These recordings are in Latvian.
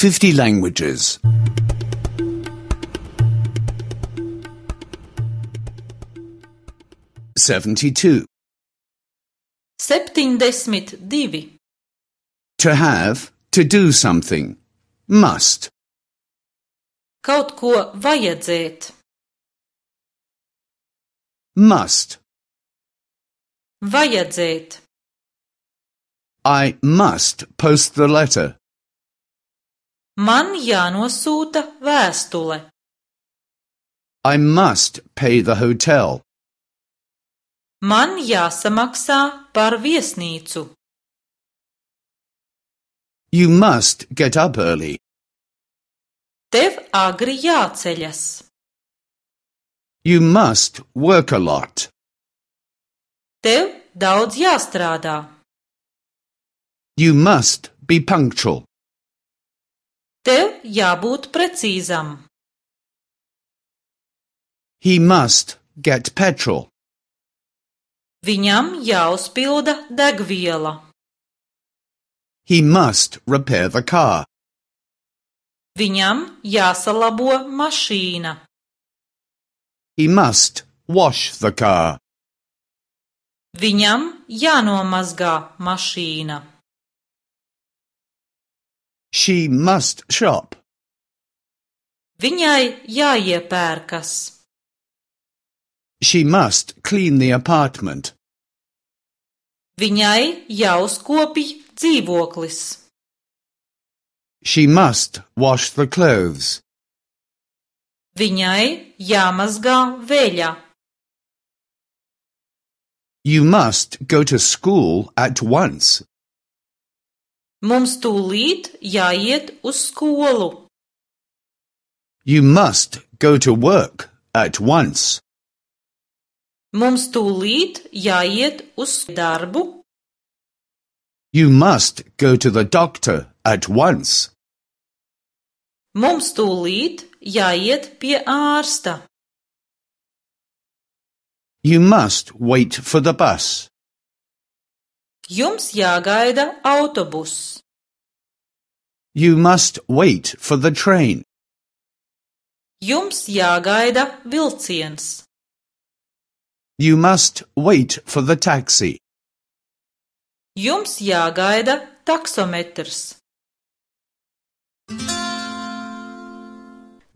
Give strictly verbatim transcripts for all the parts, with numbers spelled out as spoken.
fifty languages. seventy-two. Septiņdesmit divi. To have, to do something. Must. Kaut ko vajadzēt. Must. Vajadzēt. I must post the letter. Man jānosūta vēstule. I must pay the hotel. Man jāsamaksā par viesnīcu. You must get up early. Tev agri jāceļas. You must work a lot. Tev daudz jāstrādā. You must be punctual. Tev jābūt precīzam. He must get petrol. Viņam jāuzpilda degviela. He must repair the car. Viņam jāsalabo mašīna. He must wash the car. Viņam jānomazgā mašīna. She must shop. Viņai jāiepērkas. She must clean the apartment. Viņai jāuzkopj dzīvoklis. She must wash the clothes. Viņai jāmazgā veļa. You must go to school at once. Mums tūlīt jāiet uz skolu. You must go to work at once. Mums tūlīt jāiet uz darbu. You must go to the doctor at once. Mums tūlīt jāiet pie ārsta. You must wait for the bus. Jums jāgaida autobus. You must wait for the train. Jums jāgaida vilciens. You must wait for the taxi. Jums jāgaida taksometrs.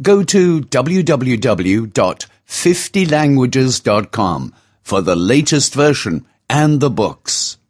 Go to w w w dot fifty languages dot com for the latest version and the books.